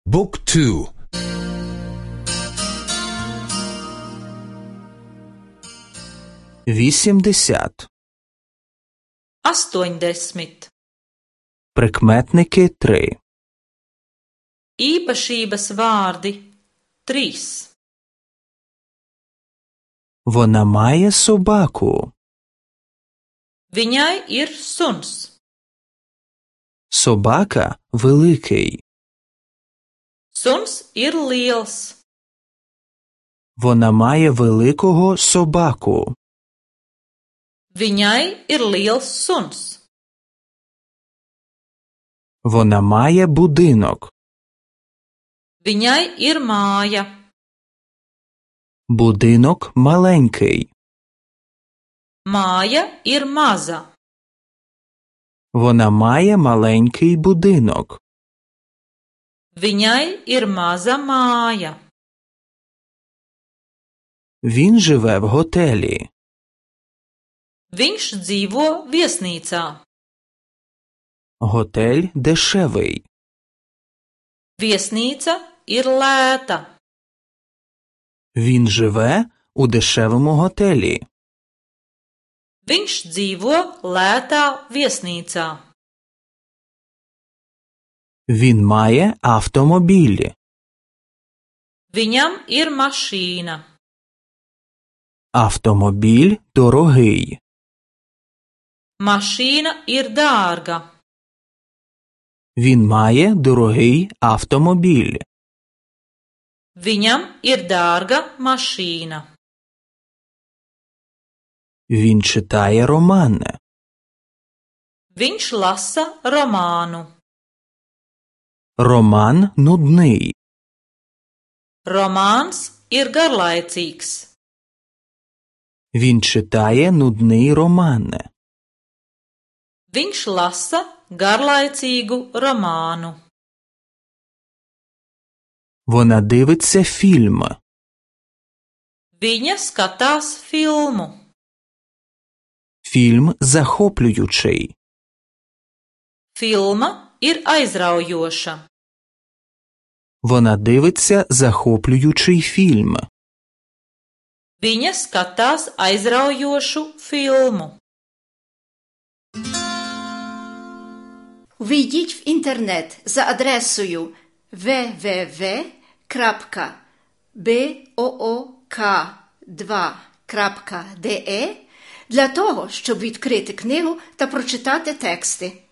Book 2. 80. 80. Прикметники 3. Īpašības vārdi 3. Вона має собаку. Viņai ir suns. Собака великий. Suns ir liels. Вона має великого собаку. Viņai ir liels suns. Вона має будинок. Viņai ir māja. Будинок маленький. Māja ir maza. Вона має маленький будинок. Viņai ir maza māja. Він живе в готелі. Viņš dzīvo viesnīcā. Готель дешевий. Viesnīca ir lēta. Він живе у дешевому готелі. Viņš dzīvo lētā viesnīcā. Він має автомобіль. Viņam ir mašīna. Автомобіль дорогий. Mašīna ir dārga. Він має дорогий автомобіль. Viņam ir dārga mašīna. Він читає роман. Viņš lasa romānu. Роман нудний. Romāns ir garlaicīgs. Він читає нудний роман. Viņš lasa garlaicīgu romānu. Вона дивиться фільм. Viņa skatās filmu. Фільм захоплюючий. Filma ir aizraujoša. Вона дивиться захоплюючий фільм. Viņa skatās aizraujošu filmu. Увійдіть в інтернет за адресою www.book2.de для того, щоб відкрити книгу та прочитати тексти.